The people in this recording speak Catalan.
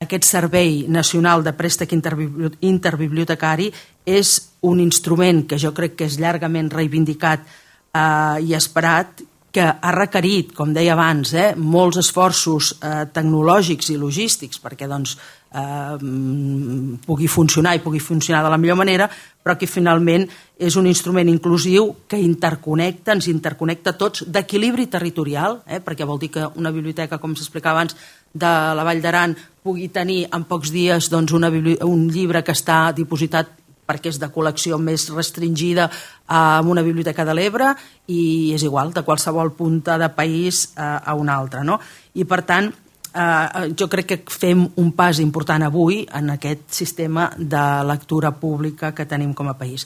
aquest Servei Nacional de Préstec Interbibliotecari és un instrument que jo crec que és llargament reivindicat i esperat, que ha requerit, com deia abans, molts esforços tecnològics i logístics perquè pugui funcionar i pugui funcionar de la millor manera, però que finalment és un instrument inclusiu que ens interconnecta tots, d'equilibri territorial, perquè vol dir que una biblioteca, com s'explicava abans, de la Vall d'Aran pugui tenir en pocs dies un llibre que està dipositat perquè és de col·lecció més restringida en una biblioteca de l'Ebre i és igual, de qualsevol punta de país a una altra. I per tant, jo crec que fem un pas important avui en aquest sistema de lectura pública que tenim com a país.